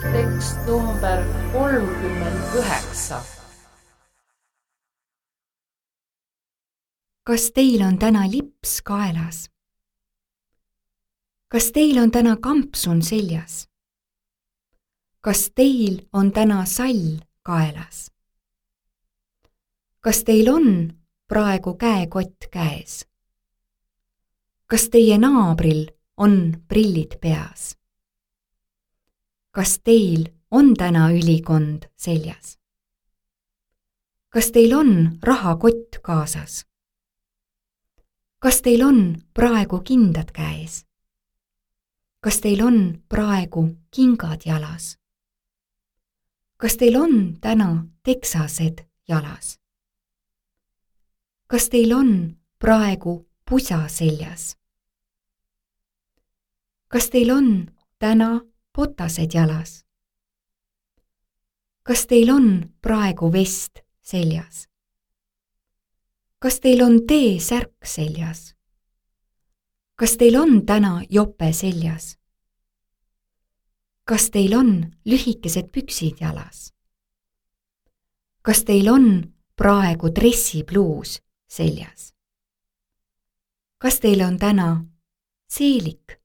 Tekst number 39. Kas teil on täna lips kaelas? Kas teil on täna kampsun seljas? Kas teil on täna sall kaelas? Kas teil on praegu käekott käes? Kas teie naabril on prillid peas? Kas teil on täna ülikond seljas? Kas teil on rahakott kaasas? Kas teil on praegu kindad käes? Kas teil on praegu kingad jalas? Kas teil on täna teksased jalas? Kas teil on praegu pusa seljas? Kas teil on täna botased jalas? Kas teil on praegu vest seljas? Kas teil on T-särk seljas? Kas teil on täna jope seljas? Kas teil on lühikesed püksid jalas? Kas teil on praegu dressipluus seljas? Kas teil on täna seelik